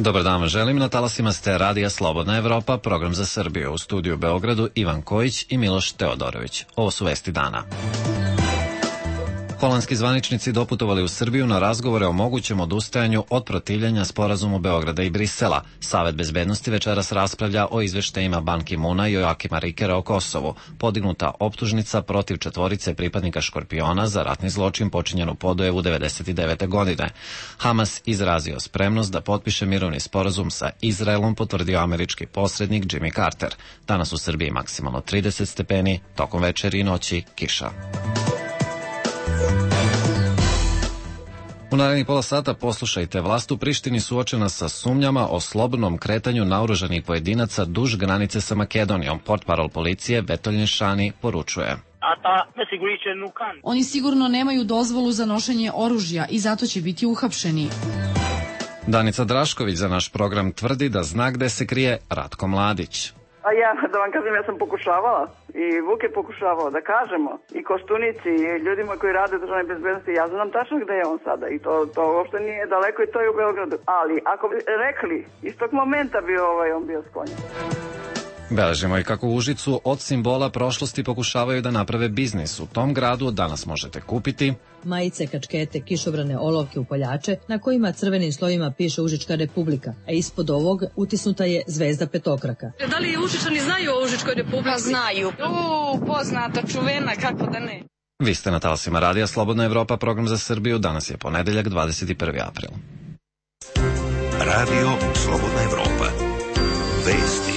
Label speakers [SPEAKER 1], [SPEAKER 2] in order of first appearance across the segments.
[SPEAKER 1] Dobar dan vam želim, na talasima ste Radija Slobodna Evropa, program za Srbiju. U studiju u Beogradu Ivan Kojić i Miloš Teodorović. Ovo su vesti dana. Holandski zvaničnici doputovali u Srbiju na razgovore o mogućem odustajanju od protivljenja sporazumu Beograda i Brisela. Savet bezbednosti večeras raspravlja o izveštajima Ban Ki-moona i Joakima Rikera o Kosovu. Podignuta optužnica protiv 4 pripadnika Škorpiona za ratni zločin počinjen u Podujevu 1999. godine. Hamas izrazio spremnost da potpiše mirovni sporazum sa Izraelom, potvrdio američki posrednik Jimmy Carter. Danas u Srbiji maksimalno 30 stepeni, tokom večeri i noći kiša. U narednih pola sata poslušajte, vlast u Prištini suočena sa sumnjama o slobodnom kretanju naoružanih pojedinaca duž granice sa Makedonijom. Portparol policije Vetolin Šani poručuje.
[SPEAKER 2] Oni sigurno nemaju dozvolu za nošenje oružja i zato će biti uhapšeni.
[SPEAKER 1] Danica Drašković za naš program tvrdi da zna gde se krije Ratko Mladić.
[SPEAKER 3] A ja, da vam kažem, ja sam pokušavala i Vuk je pokušavao da kažemo i Koštunici i ljudima koji rade u državnoj bezbednosti, ja znam tačno gde je on sada i to uopšte nije daleko i to je u Beogradu. Ali ako bi rekli, iz tog momenta bi on bio sklonjen.
[SPEAKER 1] Beležimo i kako u Užicu od simbola prošlosti pokušavaju da naprave biznis. U tom gradu danas možete kupiti
[SPEAKER 4] majice, kačkete, kišobrane, olovke, upaljače na kojima crvenim slovima piše Užička republika, a ispod ovog utisnuta je zvezda petokraka.
[SPEAKER 5] Da li Užičani znaju o Užičkoj republici?
[SPEAKER 6] Pa znaju. Poznata, čuvena, kako da ne.
[SPEAKER 1] Vi ste na talasima Radija Slobodna Evropa, program za Srbiju. Danas je ponedeljak, 21. april.
[SPEAKER 7] Radio Slobodna Evropa. Vesti.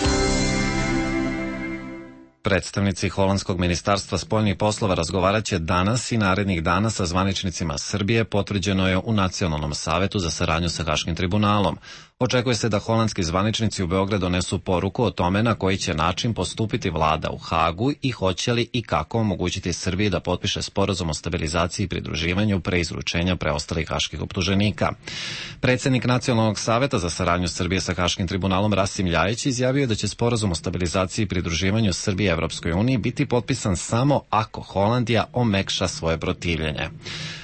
[SPEAKER 1] Predstavnici Holandskog ministarstva spoljnih poslova razgovaraće danas i narednih dana sa zvaničnicima Srbije, potvrđeno je u Nacionalnom savetu za saradnju sa Haškim tribunalom. Očekuje se da holandski zvaničnici u Beograd donesu poruku o tome na koji će način postupiti vlada u Hagu i hoće li i kako omogućiti Srbiji da potpiše sporazum o stabilizaciji i pridruživanju pre izručenja preostalih haških optuženika. Predsednik Nacionalnog saveta za saradnju Srbije sa Haškim tribunalom Rasim Ljajić izjavio da će sporazum o stabilizaciji i pridruživanju Srbije Evropskoj uniji biti potpisan samo ako Holandija omekša svoje protivljenje.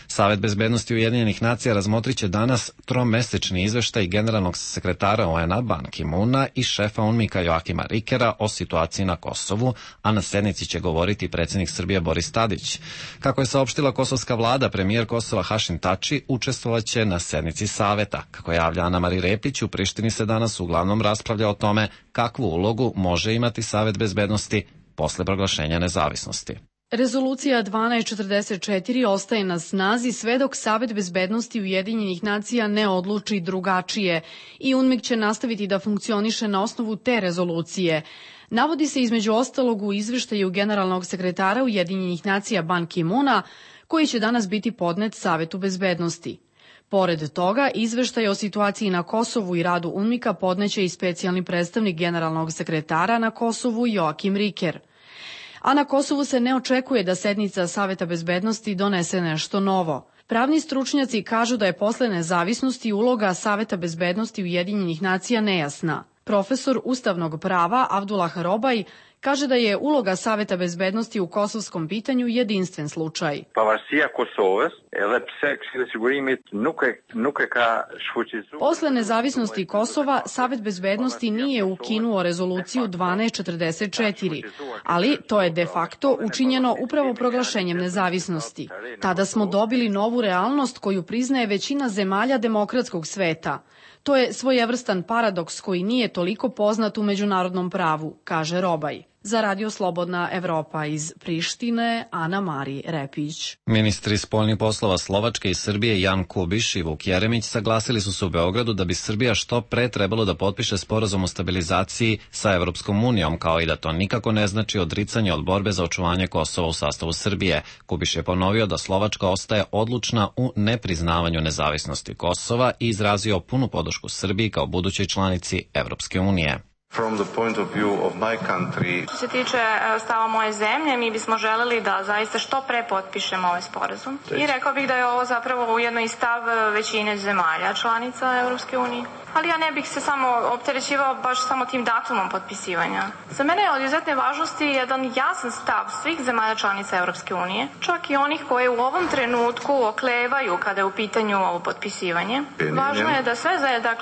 [SPEAKER 1] Savet bezbednosti Ujedinjenih nacija razmotriće danas tromesečni izveštaj generalnog sekretara UN-a Ban Ki-moona i šefa UNMIK-a Joakima Rikera o situaciji na Kosovu, a na sednici će govoriti predsednik Srbije Boris Tadić. Kako je saopštila kosovska vlada, premijer Kosova Hašim Tači učestvovaće na sednici saveta. Kako javlja Ana Mari Repić, u Prištini se danas uglavnom raspravlja o tome kakvu ulogu može imati Savet bezbednosti posle proglašenja nezavisnosti.
[SPEAKER 2] Rezolucija 1244 ostaje na snazi sve dok Savet bezbednosti Ujedinjenih nacija ne odluči drugačije i UNMIK će nastaviti da funkcioniše na osnovu te rezolucije. Navodi se između ostalog u izveštaju generalnog sekretara Ujedinjenih nacija Ban Ki-moona, koji će danas biti podnet Savetu bezbednosti. Pored toga, izveštaj o situaciji na Kosovu i radu UNMIK-a podneće i specijalni predstavnik generalnog sekretara na Kosovu Joakim Riker. A na Kosovu se ne očekuje da sednica Saveta bezbednosti donese nešto novo. Pravni stručnjaci kažu da je posle nezavisnosti uloga Saveta bezbednosti Ujedinjenih nacija nejasna. Profesor ustavnog prava Abdullah Robaj kaže da je uloga Saveta bezbednosti u kosovskom pitanju jedinstven slučaj. Posle nezavisnosti Kosova, Savet bezbednosti nije ukinuo rezoluciju 1244, ali to je de facto učinjeno upravo proglašenjem nezavisnosti. Tada smo dobili novu realnost koju priznaje većina zemalja demokratskog sveta. To je svojevrstan paradoks koji nije toliko poznat u međunarodnom pravu, kaže Robaj. Za Radio Slobodna Evropa iz Prištine, Ana Mari Repić.
[SPEAKER 1] Ministri spoljnih poslova Slovačke i Srbije Jan Kubiš i Vuk Jeremić saglasili su se u Beogradu da bi Srbija što pre trebalo da potpiše sporazum o stabilizaciji sa Evropskom unijom, kao i da to nikako ne znači odricanje od borbe za očuvanje Kosova u sastavu Srbije. Kubiš je ponovio da Slovačka ostaje odlučna u nepriznavanju nezavisnosti Kosova i izrazio punu podršku Srbiji kao budućoj članici Evropske unije.
[SPEAKER 8] From the point of view of my country.
[SPEAKER 9] Što se tiče stava moje zemlje, mi bismo želeli da zaista što pre potpišemo ovaj sporazum. I rekao bih da je ovo zapravo ujedno i stav većine zemalja članica Evropske unije. Ali ja ne bih se samo opterećivao baš samo tim datumom potpisivanja. Za mene je od izuzetne važnosti jedan jasan stav svih zemalja članica Evropske unije, čak i onih koje u ovom trenutku oklevaju kada je u pitanju ovo potpisivanje. Važno je da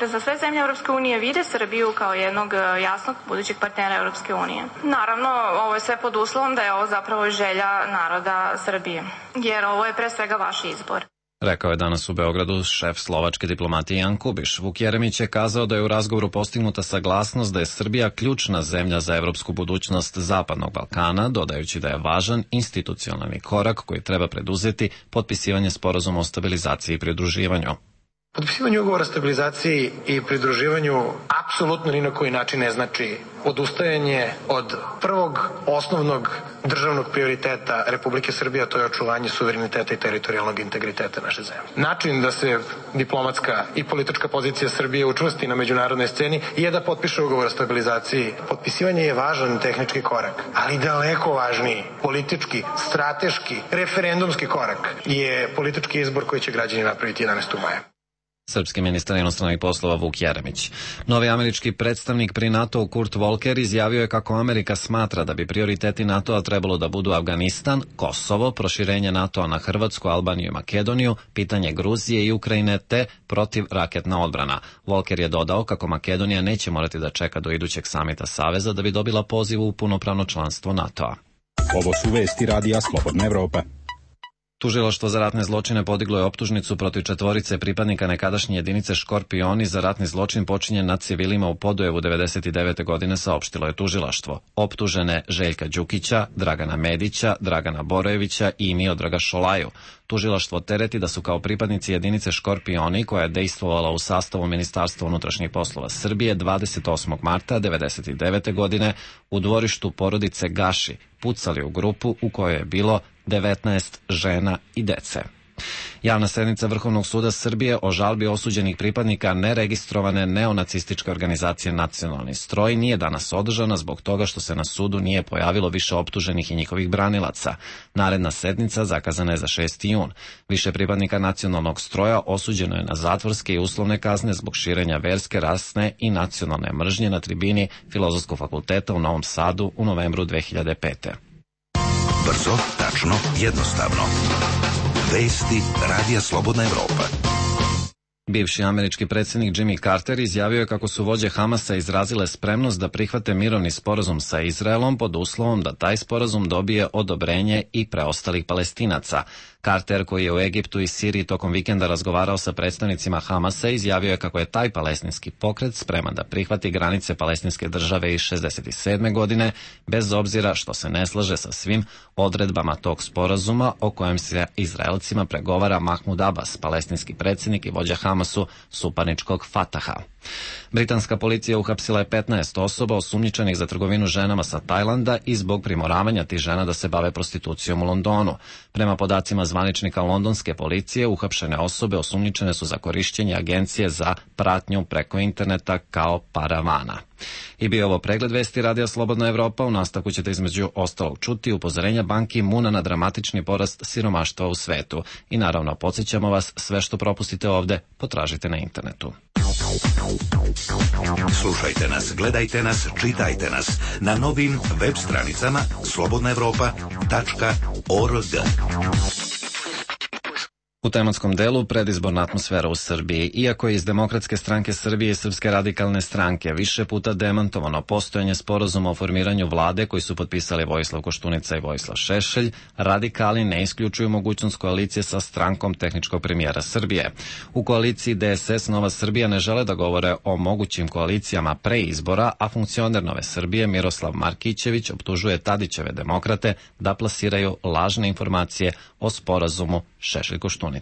[SPEAKER 9] za sve zemlje Evropske unije vide Srbiju kao jednog jasnog budućeg partnera Evropske unije. Naravno, ovo je sve pod uslovom da je ovo zapravo želja naroda Srbije, jer ovo je pre svega vaš izbor.
[SPEAKER 1] Rekao je danas u Beogradu šef slovačke diplomatije Jan Kubiš. Vuk Jeremić je kazao da je u razgovoru postignuta saglasnost da je Srbija ključna zemlja za evropsku budućnost Zapadnog Balkana, dodajući da je važan institucionalni korak koji treba preduzeti potpisivanje sporazuma o stabilizaciji i pridruživanju.
[SPEAKER 10] Potpisivanje ugovora o stabilizaciji i pridruživanju apsolutno ni na koji način ne znači odustajanje od prvog osnovnog državnog prioriteta Republike Srbije, a to je očuvanje suvereniteta i teritorijalnog integriteta naše zemlje. Način da se diplomatska i politička pozicija Srbije učvrsti na međunarodnoj sceni je da potpiše ugovor o stabilizaciji. Potpisivanje je važan tehnički korak, ali daleko važniji politički, strateški, referendumski korak je politički izbor koji će građani napraviti 11. maja.
[SPEAKER 1] Srpski ministar inostranih poslova Vuk Jeremić. Novi američki predstavnik pri NATO-u Kurt Volker izjavio je kako Amerika smatra da bi prioriteti NATO-a trebalo da budu Afganistan, Kosovo, proširenje NATO-a na Hrvatsku, Albaniju i Makedoniju, pitanje Gruzije i Ukrajine te protivraketna odbrana. Volker je dodao kako Makedonija neće morati da čeka do idućeg samita Saveza da bi dobila poziv u punopravno članstvo NATO-a.
[SPEAKER 11] Ovo su vesti Radija Slobodna Evropa.
[SPEAKER 1] Tužilaštvo za ratne zločine podiglo je optužnicu protiv 4 pripadnika nekadašnje jedinice Škorpioni za ratni zločin počinjen nad civilima u Podujevu 99. godine, saopštilo je tužilaštvo. Optužene Željka Đukića, Dragana Medića, Dragana Borojevića i Miodraga Šolaju. Tužilaštvo tereti da su kao pripadnici jedinice Škorpioni, koja je dejstvovala u sastavu Ministarstva unutrašnjih poslova Srbije 28. marta 99. godine u dvorištu porodice Gaši pucali u grupu u kojoj je bilo 19 žena i dece. Javna sednica Vrhovnog suda Srbije o žalbi osuđenih pripadnika neregistrovane neonacističke organizacije Nacionalni stroj nije danas održana zbog toga što se na sudu nije pojavilo više optuženih i njihovih branilaca. Naredna sednica zakazana je za 6. jun. Više pripadnika Nacionalnog stroja osuđeno je na zatvorske i uslovne kazne zbog širenja verske, rasne i nacionalne mržnje na tribini Filozofskog fakulteta u Novom Sadu u novembru 2005.
[SPEAKER 7] Brzo, tačno, jednostavno. Vesti Radija Slobodna Evropa.
[SPEAKER 1] Bivši američki predsjednik Jimmy Carter izjavio je kako su vođe Hamasa izrazile spremnost da prihvate mirovni sporazum sa Izraelom pod uslovom da taj sporazum dobije odobrenje i preostalih Palestinaca. Carter, koji je u Egiptu i Siriji tokom vikenda razgovarao sa predstavnicima Hamasa, izjavio je kako je taj palestinski pokret spreman da prihvati granice palestinske države iz 67. godine, bez obzira što se ne slaže sa svim odredbama tog sporazuma o kojem se Izraelcima pregovara Mahmud Abbas, palestinski predsjednik i vođa Hamasu suparničkog Fataha. Britanska policija uhapsila je 15 osoba osumnjičenih za trgovinu ženama sa Tajlanda i zbog primoravanja tih žena da se bave prostitucijom u Londonu. Prema podacima zvaničnika londonske policije, uhapšene osobe osumnjičene su za korišćenje agencije za pratnju preko interneta kao paravana. I bio ovo pregled vesti Radija Slobodna Evropa. U nastavku ćete između ostalog čuti upozorenja Ban Ki-moona na dramatični porast siromaštva u svetu. I naravno, podsjećamo vas, sve što propustite ovde, potražite na internetu.
[SPEAKER 7] Slušajte nas, gledajte nas, čitajte nas na novim web stranicama slobodnaevropa.org.
[SPEAKER 1] U tematskom delu predizborna atmosfera u Srbiji. Iako je iz Demokratske stranke Srbije i Srpske radikalne stranke više puta demantovano postojanje sporazuma o formiranju vlade koji su potpisali Vojislav Koštunica i Vojislav Šešelj, radikali ne isključuju mogućnost koalicije sa strankom tehničkog premijera Srbije. U koaliciji DSS Nova Srbija ne žele da govore o mogućim koalicijama pre izbora, a funkcioner Nove Srbije Miroslav Markićević optužuje Tadićeve demokrate da plasiraju lažne informacije o sporazumu Šešelj-Koštunica.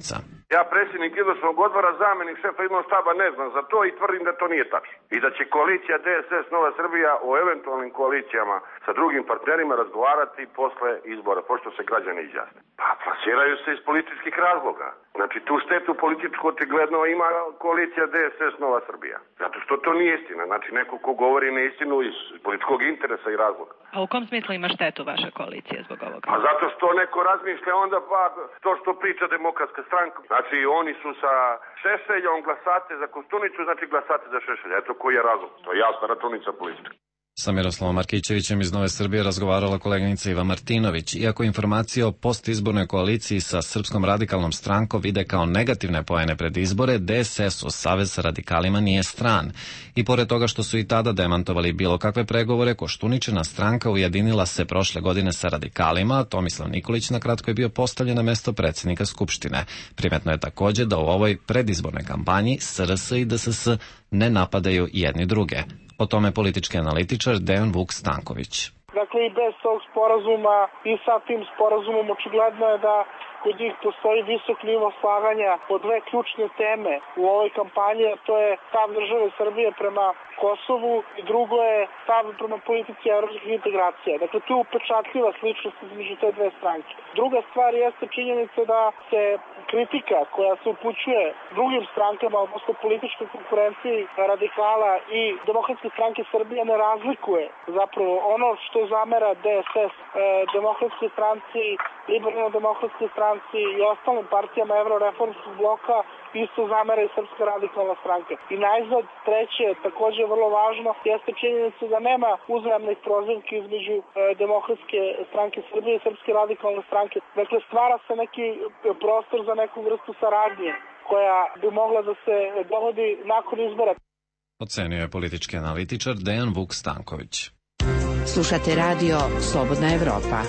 [SPEAKER 12] Ja, predsjednik izvršnog odbora, zamenik šefa izvršnog štaba, ne znam za to i tvrdim da to nije tačno. I da će koalicija DSS Nova Srbija o eventualnim koalicijama sa drugim partnerima razgovarati posle izbora, pošto se građani izjasne. Pa plasiraju se iz političkih razloga. Znači, tu štetu političku očigledno ima koalicija DSS Nova Srbija. Zato što to nije istina. Znači, neko ko govori neistinu iz političkog interesa i razloga.
[SPEAKER 13] A u kom smislu ima štetu vaša koalicija zbog ovoga?
[SPEAKER 12] Pa zato što neko razmišlja onda pa to što priča Demokratska stranka. Znači, oni su sa Šešeljom, glasate za Koštunicu, znači glasate za Šešelja. Eto koji je razlog. To je jasna računica politička.
[SPEAKER 1] Sa Miroslavom Markićevićem iz Nove Srbije razgovarala koleginica Iva Martinović. Iako informacije o postizbornoj koaliciji sa Srpskom radikalnom strankom vide kao negativne poene pred izbore, DSS-u, Savez sa radikalima, nije stran. I pored toga što su i tada demantovali bilo kakve pregovore, Koštuničina stranka ujedinila se prošle godine sa radikalima, Tomislav Nikolić na kratko je bio postavljen na mesto predsjednika Skupštine. Primetno je takođe da u ovoj predizbornoj kampanji SRS i DSS ne napadaju jedni druge. O tome politički analitičar Dejan Vuk Stanković.
[SPEAKER 14] Dakle, i bez tog sporazuma i sa tim sporazumom očigledno je da kod njih postoji visok nivo slaganja po dve ključne teme u ovoj kampanji, a to je stav države Srbije prema Kosovu i drugo je stav prema politici evropskih integracija. Dakle, tu je upečatljiva sličnost između te dve stranke. Druga stvar jeste činjenica da se kritika koja se upućuje drugim strankama, odnosno političkoj konkurenciji radikala i Demokratske stranke Srbije ne razlikuje zapravo ono što zamera DSS Demokratskoj stranci, Liberalno-demokratskoj stranci i ostalim partijama Evroreformskog bloka isto zamera i Srpska radikalna stranka. I najzad, treće, takođe vrlo važno, jeste činjenica da nema uzajamnih prozivki između Demokratske stranke Srbije i Srpske radikalne stranke. Dakle, stvara se neki prostor za neku vrstu saradnje koja bi mogla da se dogodi nakon izbora.
[SPEAKER 1] Ocenio je politički analitičar Dejan Vuk Stanković.
[SPEAKER 15] Slušate radio Slobodna Evropa.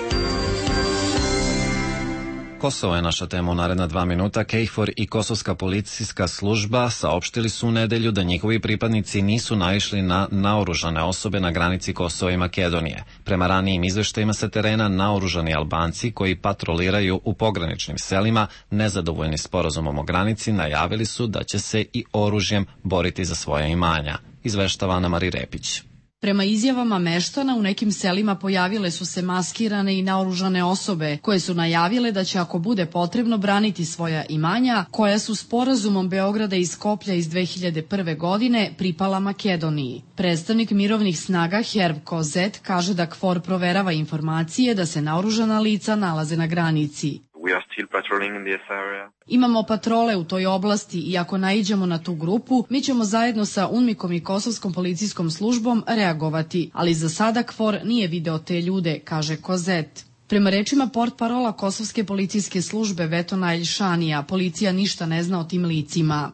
[SPEAKER 1] Kosovo je naša tema u naredna 2 minuta. KFOR i Kosovska policijska služba saopštili su u nedelju da njihovi pripadnici nisu naišli na naoružane osobe na granici Kosova i Makedonije. Prema ranijim izveštajima sa terena, naoružani Albanci koji patroliraju u pograničnim selima, nezadovoljni sporazumom o granici, najavili su da će se i oružjem boriti za svoja imanja. Izveštava Ana Mari Repić.
[SPEAKER 2] Prema izjavama meštana, u nekim selima pojavile su se maskirane i naoružane osobe koje su najavile da će ako bude potrebno braniti svoja imanja, koja su sporazumom Beograda i Skoplja iz 2001. godine pripala Makedoniji. Predstavnik mirovnih snaga Herv Kozet kaže da KFOR proverava informacije da se naoružana lica nalaze na granici. Imamo patrole u toj oblasti i ako naiđemo na tu grupu, mi ćemo zajedno sa UNMIK-om i Kosovskom policijskom službom reagovati, ali za sada KFOR nije video te ljude, kaže Kozet. Prema rečima portparola Kosovske policijske službe Vetona Elšanija, policija ništa ne zna o tim licima.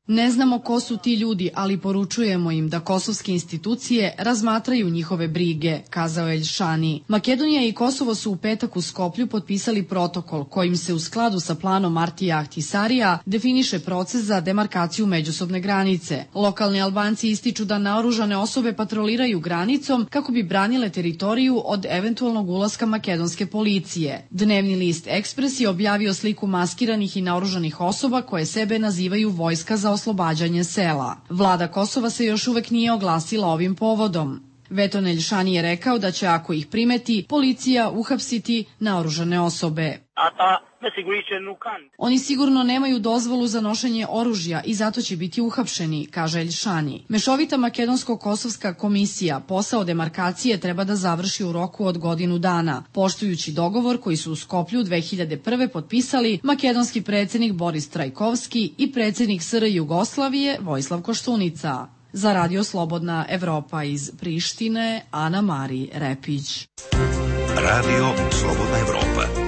[SPEAKER 2] Ne znamo ko su ti ljudi, ali poručujemo im da kosovske institucije razmatraju njihove brige, kazao Elšani. Makedonija i Kosovo su u petak u Skoplju potpisali protokol kojim se u skladu sa planom Martija Ahtisarija definiše proces za demarkaciju međusobne granice. Lokalni Albanci ističu da naoružane osobe patroliraju granicom kako bi branile teritoriju od eventualnog ulaska makedonske policije. Dnevni list Ekspres je objavio sliku maskiranih i naoružanih osoba koje sebe nazivaju Vojska za oslobađanje sela. Vlada Kosova se još uvek nije oglasila ovim povodom. Veton Elšani je rekao da će, ako ih primeti, policija uhapsiti naoružane osobe. Oni sigurno nemaju dozvolu za nošenje oružja i zato će biti uhapšeni, kaže Elšani. Mešovita makedonsko-kosovska komisija posao demarkacije treba da završi u roku od godinu dana, poštujući dogovor koji su u Skoplju 2001. potpisali makedonski predsjednik Boris Trajkovski i predsjednik SR Jugoslavije Vojislav Koštunica. Za Radio Slobodna Evropa iz Prištine, Ana Mari Repić.
[SPEAKER 7] Radio Slobodna Evropa.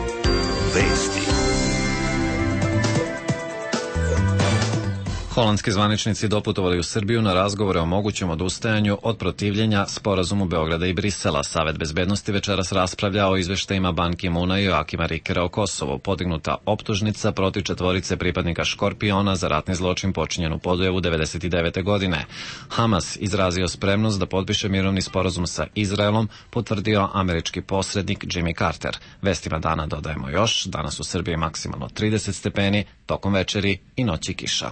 [SPEAKER 7] Vesti.
[SPEAKER 1] Holandski zvaničnici doputovali u Srbiju na razgovore o mogućem odustajanju od protivljenja sporazumu Beograda i Brisela. Savet bezbednosti večeras raspravlja o izveštajima Ban Ki-muna i Joakima Rikera o Kosovu. Podignuta optužnica protiv 4 pripadnika Škorpiona za ratni zločin počinjen u Podujevu 1999. godine. Hamas izrazio spremnost da potpiše mirovni sporazum sa Izraelom, potvrdio američki posrednik Jimmy Carter. Vestima dana dodajemo još, danas u Srbiji maksimalno 30 stepeni, tokom večeri i noći kiša.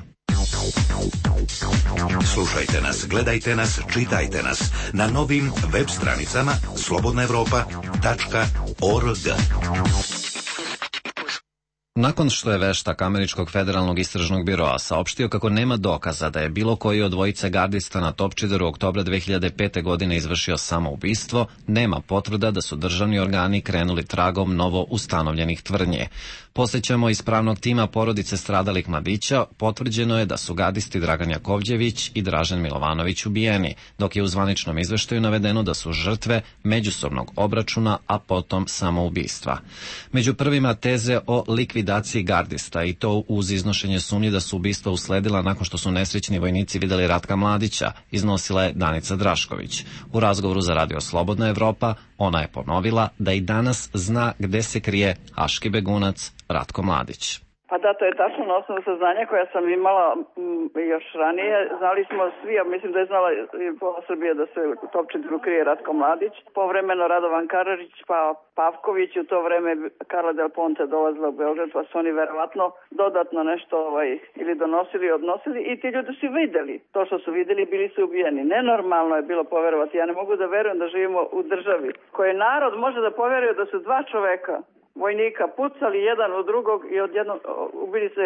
[SPEAKER 7] Slušajte nas, gledajte nas, čitajte nas na novim web stranicama slobodnaevropa.org.
[SPEAKER 1] Nakon što je veštak Američkog federalnog istražnog biroa saopštio kako nema dokaza da je bilo koji od dvojice gardista na Topčideru oktobra 2005. godine izvršio samoubistvo, nema potvrda da su državni organi krenuli tragom novo ustanovljenih tvrdnje. Posjećamo iz pravnog tima porodice stradalih mladića, potvrđeno je da su gardisti Dragan Jakovđević i Dražen Milovanović ubijeni, dok je u zvaničnom izveštaju navedeno da su žrtve međusobnog obračuna, a potom samoubistva. Među prvima teze o likvidaciji gardista, i to uz iznošenje sumnje da su ubistva usledila nakon što su nesrećni vojnici videli Ratka Mladića, iznosila je Danica Drašković. U razgovoru za Radio Slobodna Evropa ona je ponovila da i danas zna gde se krije haški begunac Ratko Mladić.
[SPEAKER 3] Pa da, to je tačno na osnovu saznanja koja sam imala još ranije. Znali smo svi, a mislim da je znala i pola Srbije da se u Topčideru krije Ratko Mladić. Povremeno Radovan Karadžić, pa Pavković, u to vreme Karla Del Ponte dolazila u Beograd, pa su oni verovatno dodatno nešto ili donosili, odnosili, i ti ljudi su videli. To što su videli, bili su ubijeni. Nenormalno je bilo poverovati. Ja ne mogu da verujem da živimo u državi koje narod može da poveruje da su dva čoveka, vojnika, pucali jedan u drugog i odjednom ubili se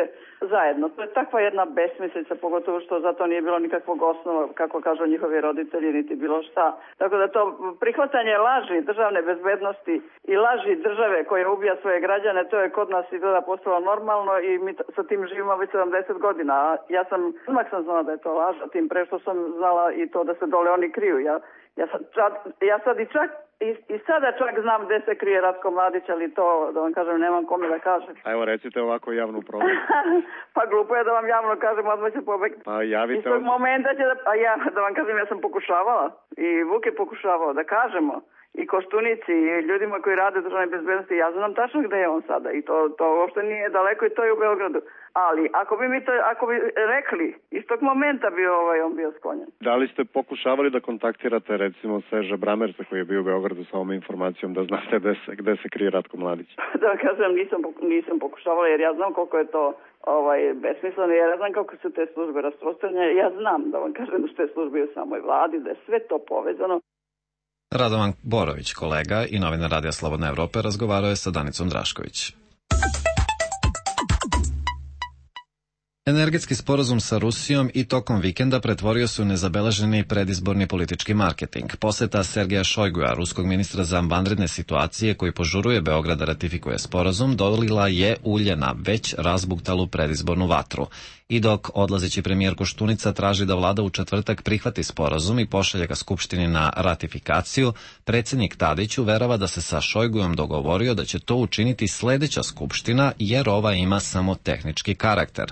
[SPEAKER 3] zajedno. To je takva jedna besmislica, pogotovo što za to nije bilo nikakvog osnova, kako kažu njihovi roditelji, niti bilo šta. Tako da to prihvatanje laži državne bezbednosti i laži države koja ubija svoje građane, to je kod nas izgleda postalo normalno i mi sa tim živimo već 70 godina. Ja sam znala da je to laž, a tim pre što sam znala i to da se dole oni kriju. Ja sad i sada čak znam gde se krije Ratko Mladić, ali to, da vam kažem, nemam kome da kažem.
[SPEAKER 16] A evo, recite ovako javnu probu.
[SPEAKER 3] Pa glupo je da vam javno kažem, odmah će pobegti.
[SPEAKER 16] Pa javite.
[SPEAKER 3] Iz tog momenta će da vam kažem, ja sam pokušavala i Vuk je pokušavao da kažemo i Koštunici i ljudima koji rade u državnoj bezbednosti, ja znam tačno gde je on sada i to uopšte nije daleko i to je u Beogradu. Ali ako bi rekli, iz tog momenta bi on bio sklonjen.
[SPEAKER 16] Da li ste pokušavali da kontaktirate recimo Seža Bramersa koji je bio u Beogradu sa ovom informacijom da znate gde se krije Ratko Mladić?
[SPEAKER 3] Da vam kažem, nisam pokušavala jer ja znam koliko je to besmisleno, jer ja znam kako su te službe rasprostranjene, ja znam da vam kažem da su te službe u samoj vladi, da je sve to povezano.
[SPEAKER 1] Radovan Borović, kolega i novinar Radija Slobodna Evropa, razgovarao je sa Danicom Drašković. Energetski sporazum sa Rusijom i tokom vikenda pretvorio se u nezabeleženi predizborni politički marketing. Poseta Sergeja Šojguja, ruskog ministra za vanredne situacije koji požuruje Beograd da ratifikuje sporazum, dolila je ulje na već razbuktalu predizbornu vatru. I dok odlazeći premijer Koštunica traži da vlada u četvrtak prihvati sporazum i pošalje ga Skupštini na ratifikaciju, predsjednik Tadić uverava da se sa Šojgujom dogovorio da će to učiniti sledeća Skupština jer ova ima samo tehnički karakter.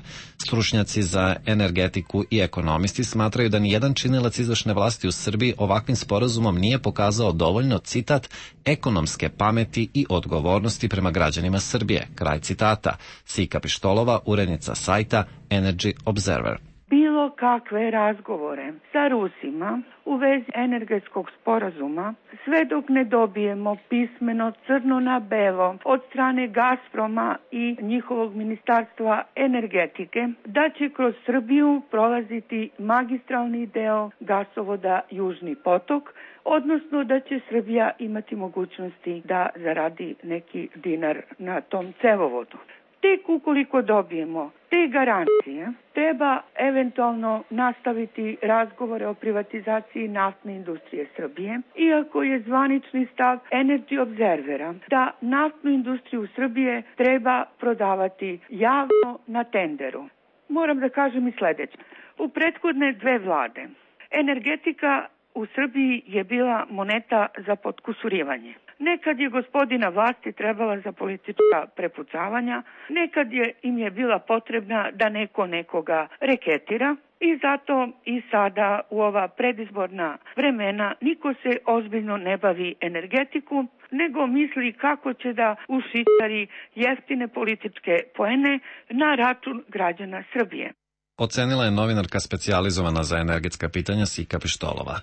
[SPEAKER 1] Stručnjaci za energetiku i ekonomisti smatraju da nijedan činilac izvršne vlasti u Srbiji ovakvim sporazumom nije pokazao dovoljno, citat, ekonomske pameti i odgovornosti prema građanima Srbije, kraj citata. Sika Pištolova, urednica sajta Energy Observer.
[SPEAKER 17] Bilo kakve razgovore sa Rusima u vezi energetskog sporazuma, sve dok ne dobijemo pismeno crno na belo od strane Gazproma i njihovog ministarstva energetike, da će kroz Srbiju prolaziti magistralni deo gasovoda Južni potok, odnosno da će Srbija imati mogućnosti da zaradi neki dinar na tom cevovodu. Tek ukoliko dobijemo te garancije, treba eventualno nastaviti razgovore o privatizaciji naftne industrije Srbije, iako je zvanični stav Energy Observera da naftnu industriju Srbije treba prodavati javno na tenderu. Moram da kažem i sledeće. U prethodne dve vlade energetika u Srbiji je bila moneta za potkusurivanje. Nekad je gospodina vlasti trebala za politička prepucavanja, nekad im je bila potrebna da neko nekoga reketira. I zato i sada u ova predizborna vremena niko se ozbiljno ne bavi energetiku, nego misli kako će da ušitari jeftine političke poene na račun građana Srbije.
[SPEAKER 1] Ocenila je novinarka specijalizovana za energetska pitanja Sika Pištolova.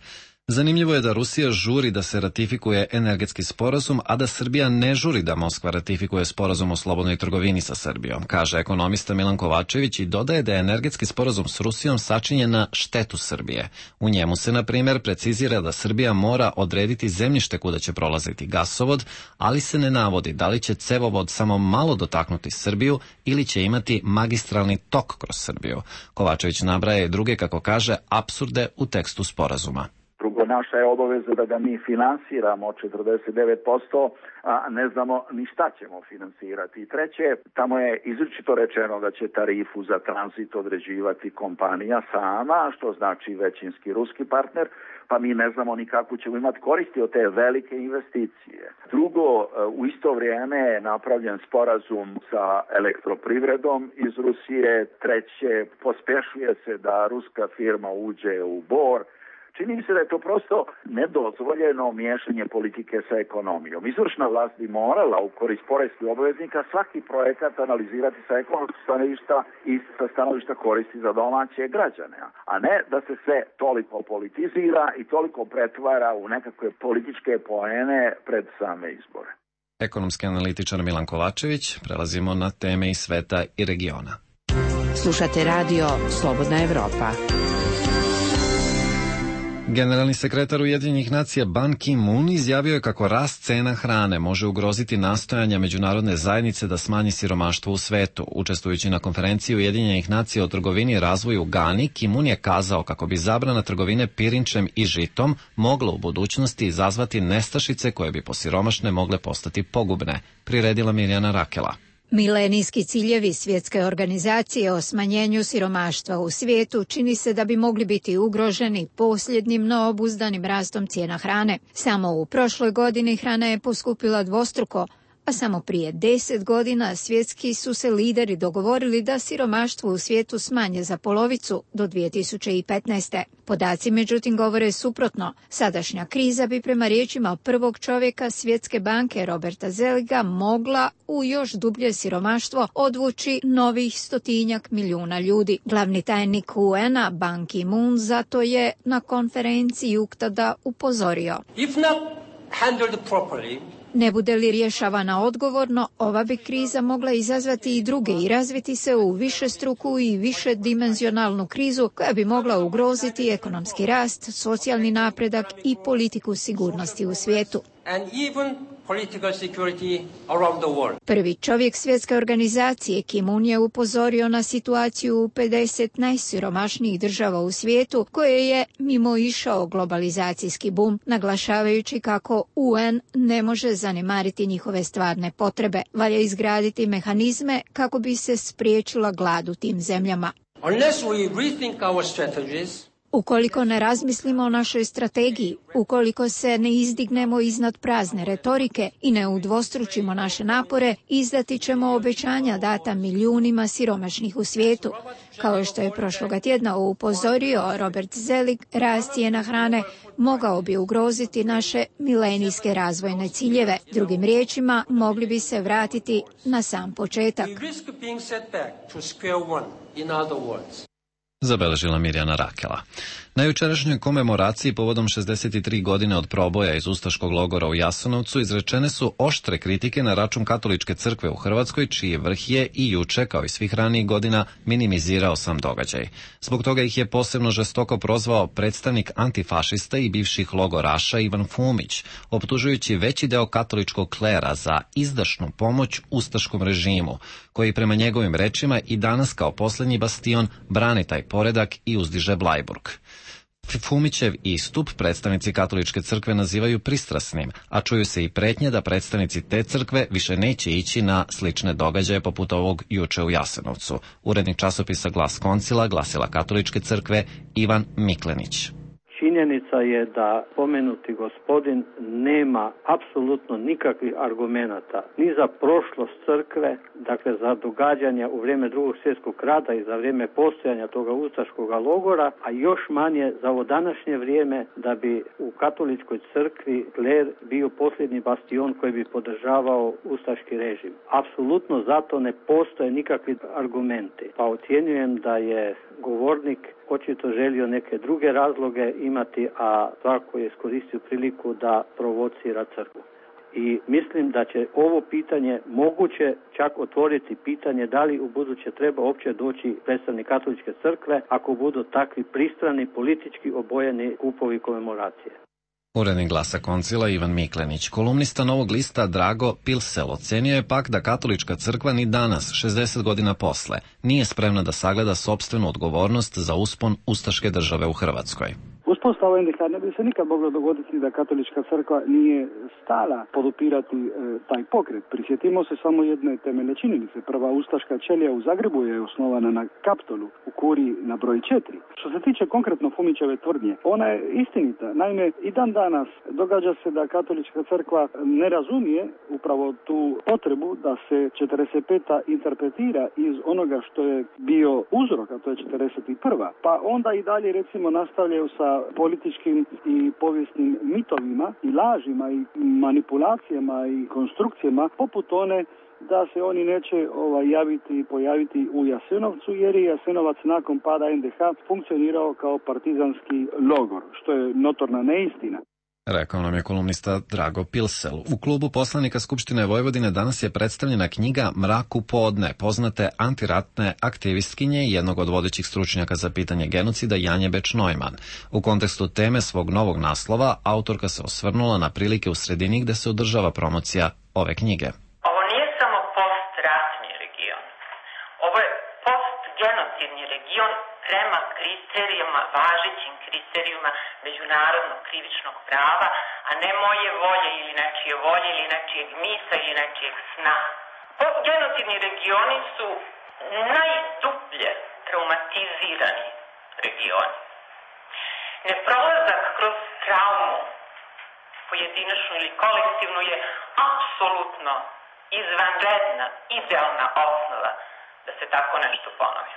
[SPEAKER 1] Zanimljivo je da Rusija žuri da se ratifikuje energetski sporazum, a da Srbija ne žuri da Moskva ratifikuje sporazum o slobodnoj trgovini sa Srbijom, kaže ekonomista Milan Kovačević i dodaje da je energetski sporazum s Rusijom sačinjen na štetu Srbije. U njemu se, na primjer, precizira da Srbija mora odrediti zemljište kuda će prolaziti gasovod, ali se ne navodi da li će cevovod samo malo dotaknuti Srbiju ili će imati magistralni tok kroz Srbiju. Kovačević nabraja i druge, kako kaže, apsurde u tekstu sporazuma.
[SPEAKER 18] Drugo, naša je obaveza da ga mi finansiramo 49%, a ne znamo ni šta ćemo finansirati. I treće, tamo je izričito rečeno da će tarifu za tranzit određivati kompanija sama, što znači većinski ruski partner, pa mi ne znamo ni kako ćemo imati koristi od te velike investicije. Drugo, u isto vrijeme je napravljen sporazum sa elektroprivredom iz Rusije. Treće, pospešuje se da ruska firma uđe u Bor. Čini mi se da je to prosto nedozvoljeno miješanje politike sa ekonomijom. Izvršna vlast bi morala u korist poreskih obveznika svaki projekat analizirati sa ekonomskog stanovišta i sa stanovišta koristi za domaće građane, a ne da se sve toliko politizira i toliko pretvara u nekakve političke poene pred same izbore.
[SPEAKER 1] Ekonomski analitičar Milan Kovačević. Prelazimo na teme iz sveta i regiona.
[SPEAKER 15] Slušate radio Slobodna Evropa.
[SPEAKER 1] Generalni sekretar Ujedinjenih nacija Ban Ki-moon izjavio je kako rast cena hrane može ugroziti nastojanja međunarodne zajednice da smanji siromaštvo u svetu. Učestvujući na konferenciji Ujedinjenih nacija o trgovini i razvoju u Gani, Ki-moon je kazao kako bi zabrana trgovine pirinčem i žitom mogla u budućnosti izazvati nestašice koje bi po siromašne mogle postati pogubne, priredila Mirjana Rakela.
[SPEAKER 19] Milenijski ciljevi Svjetske organizacije o smanjenju siromaštva u svijetu čini se da bi mogli biti ugroženi posljednjim neobuzdanim rastom cijena hrane. Samo u prošloj godini hrana je poskupila dvostruko, a samo prije 10 godina svjetski su se lideri dogovorili da siromaštvo u svijetu smanje za polovicu do 2015. Podaci međutim govore suprotno. Sadašnja kriza bi prema riječima prvog čovjeka Svjetske banke Roberta Zeliga mogla u još dublje siromaštvo odvući novih 100 milijuna ljudi. Glavni tajnik UN-a Ban Ki-moon zato je na konferenciji UNCTAD-a upozorio.
[SPEAKER 20] If not handled properly,
[SPEAKER 19] ne bude li rješavana odgovorno, ova bi kriza mogla izazvati i druge i razviti se u višestruku i višedimenzionalnu krizu koja bi mogla ugroziti ekonomski rast, socijalni napredak i politiku sigurnosti u svijetu. Prvi čovjek Svjetske organizacije Ki-moon je upozorio na situaciju u 50 najsiromašnijih država u svijetu koje je mimoišao globalizacijski bum, naglašavajući kako UN ne može zanemariti njihove stvarne potrebe. Valja izgraditi mehanizme kako bi se spriječila glad u tim zemljama. Ukoliko ne razmislimo o našoj strategiji, ukoliko se ne izdignemo iznad prazne retorike i ne udvostručimo naše napore, izdati ćemo obećanja data milijunima siromašnih u svijetu. Kao što je prošloga tjedna upozorio Robert Zelig, rast cijena hrane mogao bi ugroziti naše milenijske razvojne ciljeve. Drugim riječima, mogli bi se vratiti na sam početak.
[SPEAKER 1] Zabeležila Mirjana Rakela. Na jučerašnjoj komemoraciji povodom 63 godine od proboja iz ustaškog logora u Jasenovcu izrečene su oštre kritike na račun katoličke crkve u Hrvatskoj, čiji vrh je i juče, kao i svih ranijih godina, minimizirao sam događaj. Zbog toga ih je posebno žestoko prozvao predstavnik antifašista i bivših logoraša Ivan Fumić, optužujući veći deo katoličkog klera za izdašnu pomoć ustaškom režimu, koji prema njegovim rečima i danas kao posljednji bastion brani taj poredak i uzdiže Blajburg. Fumićev istup predstavnici katoličke crkve nazivaju pristrasnim, a čuju se i pretnje da predstavnici te crkve više neće ići na slične događaje poput ovog juče u Jasenovcu. Urednik časopisa Glas Koncila, glasila katoličke crkve Ivan Miklenić.
[SPEAKER 21] Činjenica je da pomenuti gospodin nema apsolutno nikakvih argumenata ni za prošlost crkve, dakle za događanja u vrijeme Drugog svjetskog rata i za vrijeme postojanja toga ustaškog logora, a još manje za ovo današnje vrijeme da bi u katoličkoj crkvi kler bio posljednji bastion koji bi podržavao ustaški režim. Apsolutno zato ne postoje nikakvi argumenti. Pa ocjenjujem da je govornik očito želio neke druge razloge imati, a tako je iskoristio priliku da provocira crkvu. I mislim da će ovo pitanje moguće čak otvoriti pitanje da li u buduće treba uopće doći predstavnik katoličke crkve ako budu takvi pristrani, politički obojeni kupovi komemoracije.
[SPEAKER 1] Urednik Glasa Koncila Ivan Miklenić. Kolumnista Novog lista Drago Pilsel ocenio je pak da katolička crkva ni danas, 60 godina posle, nije spremna da sagleda sopstvenu odgovornost za uspon ustaške države u Hrvatskoj.
[SPEAKER 22] Uspostava NDH ne bi se nikad moglo dogoditi da katolička crkva nije stala podupirati taj pokret. Prisjetimo se samo jedne temeljne činjenice. Prva ustaška ćelija u Zagrebu je osnovana na Kaptolu u kuriji na broj 4. Što se tiče konkretno Fumićeve tvrdnje, ona je istinita. Naime, i dan danas događa se da katolička crkva ne razumije upravo tu potrebu da se 45. interpretira iz onoga što je bio uzrok, a to je 41. Pa onda i dalje recimo nastavljaju sa političkim i povijesnim mitovima i lažima i manipulacijama i konstrukcijama poput one da se oni neće javiti i pojaviti u Jasenovcu jer je Jasenovac nakon pada NDH funkcionirao kao partizanski logor, što je notorna neistina.
[SPEAKER 1] Rekao nam je kolumnista Drago Pilsel. U klubu poslanika Skupštine Vojvodine danas je predstavljena knjiga Mrak u podne, poznate antiratne aktivistkinje i jednog od vodećih stručnjaka za pitanje genocida Janje Beč-Neumann. U kontekstu teme svog novog naslova, autorka se osvrnula na prilike u sredini gde se održava promocija ove knjige.
[SPEAKER 23] Ovo nije samo postratni region. Ovo je postgenocidni region prema kriterijama, važećim kriterijuma međunarodnog krivičnog prava, a ne moje volje ili nečijeg misa ili nečijeg sna. Postgenocidni regioni su najdublje traumatizirani regioni. Neprolazak kroz traumu, pojedinačnu ili kolektivnu, je apsolutno izvanredna, idealna osnova da se tako nešto ponovi.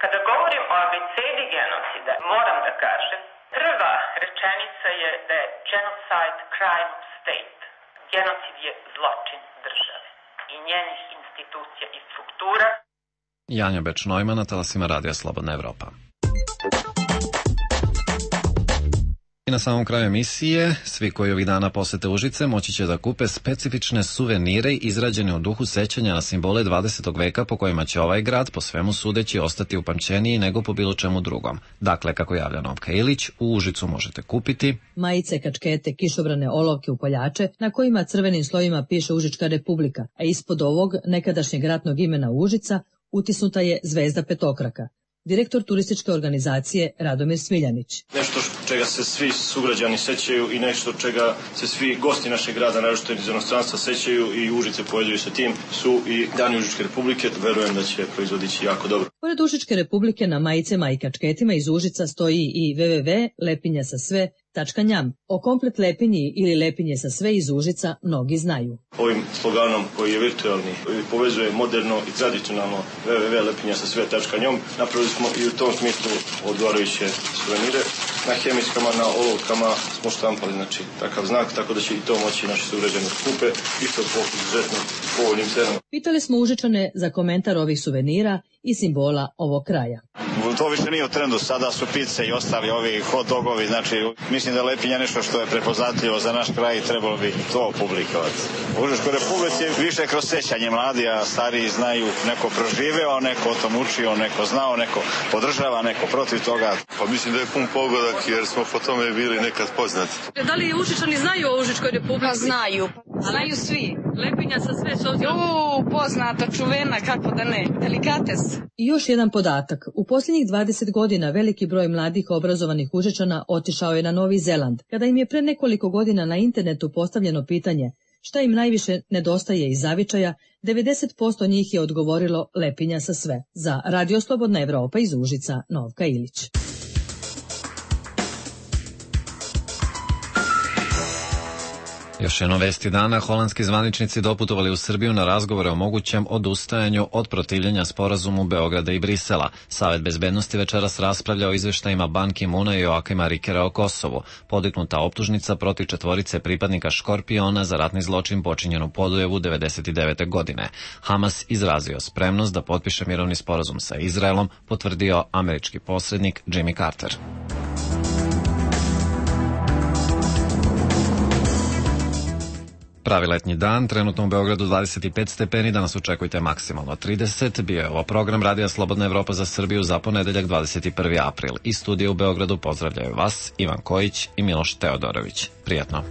[SPEAKER 23] Kada govorim o abecedi genocida, moram da kažem, prva rečenica je da je genocide crime of state. Genocid je zločin države i njenih institucija i struktura.
[SPEAKER 1] Janja Beč-Neumann na talasima Radija Slobodna Evropa. I na samom kraju emisije, svi koji ovih dana posete Užice moći će da kupe specifične suvenire izrađene u duhu sećanja na simbole 20. veka po kojima će ovaj grad po svemu sudeći ostati upamćeniji nego po bilo čemu drugom. Dakle, kako javlja Novka Ilić, u Užicu možete kupiti
[SPEAKER 4] majice, kačkete, kišobrane, olovke, upaljače na kojima crvenim slovima piše Užička republika, a ispod ovog nekadašnjeg ratnog imena Užica utisnuta je zvezda petokraka. Direktor turističke organizacije Radomir Smiljanić.
[SPEAKER 24] Nešto čega se svi sugrađani sećaju i nešto čega se svi gosti našeg grada, naročito iz inostranstva, sećaju i Užice povezuju sa tim, su i Dani Užičke republike. Verujem da će proizvodići jako dobro.
[SPEAKER 4] Pored Užičke republike na majicama i kačketima iz Užica stoji i www.lepinjasasve.njam. O komplet Lepinji ili Lepinje sa sve iz Užica mnogi znaju.
[SPEAKER 24] Ovim sloganom koji je virtualni, povezuje moderno i tradicionalno www.lepinjasasve.njom, napravili smo i u tom smislu odgovarajuće suvenire. Na hemijskama, na olovkama smo štampali, znači, takav znak, tako da će i to moći naši sugrađani kupe, isto po izuzetno povoljnim cenama.
[SPEAKER 4] Pitali smo Užičane za komentar ovih suvenira i simbola ovog kraja.
[SPEAKER 25] To više nije u trendu, sada su pice i ostali ovi hot dogovi, znači mislim da Lepinja nešto što je prepoznatljivo za naš kraj i trebalo bi to publikovati. U Užičkoj republici je više kroz sećanje, mladi, a stariji znaju, neko proživeo, neko o tom učio, neko znao, neko podržava, neko protiv toga.
[SPEAKER 8] Pa mislim da je pun pogodak jer smo po tome bili nekad poznati.
[SPEAKER 5] Da li Užičani znaju o Užičkoj republici?
[SPEAKER 6] Pa znaju, znaju svi.
[SPEAKER 5] Lepinja sa sve s obzirom.
[SPEAKER 6] Poznata, čuvena, kako da ne, delikates.
[SPEAKER 4] I još jedan podatak. U posljednjih 20 godina veliki broj mladih obrazovanih Užičana otišao je na Novi Zeland. Kada im je pre nekoliko godina na internetu postavljeno pitanje šta im najviše nedostaje iz zavičaja, 90% njih je odgovorilo Lepinja sa sve. Za Radio Slobodna Evropa iz Užica, Novka Ilić.
[SPEAKER 1] Još jedno vesti dana, holandski zvaničnici doputovali u Srbiju na razgovore o mogućem odustajanju od protivljenja sporazumu Beograda i Brisela. Savet bezbednosti večeras raspravlja o izveštajima Ban Ki-muna i Joakima Rikera o Kosovu. Podignuta optužnica protiv četvorice pripadnika Škorpiona za ratni zločin počinjen u Podujevu 1999. godine. Hamas izrazio spremnost da potpiše mirovni sporazum sa Izraelom, potvrdio američki posrednik Jimmy Carter. Pravi letnji dan, trenutno u Beogradu 25 stepeni, danas očekujte maksimalno 30. Bio je ovo program Radija Slobodna Evropa za Srbiju za ponedeljak 21. april. Iz studija u Beogradu pozdravljaju vas Ivan Kojić i Miloš Teodorović. Prijatno.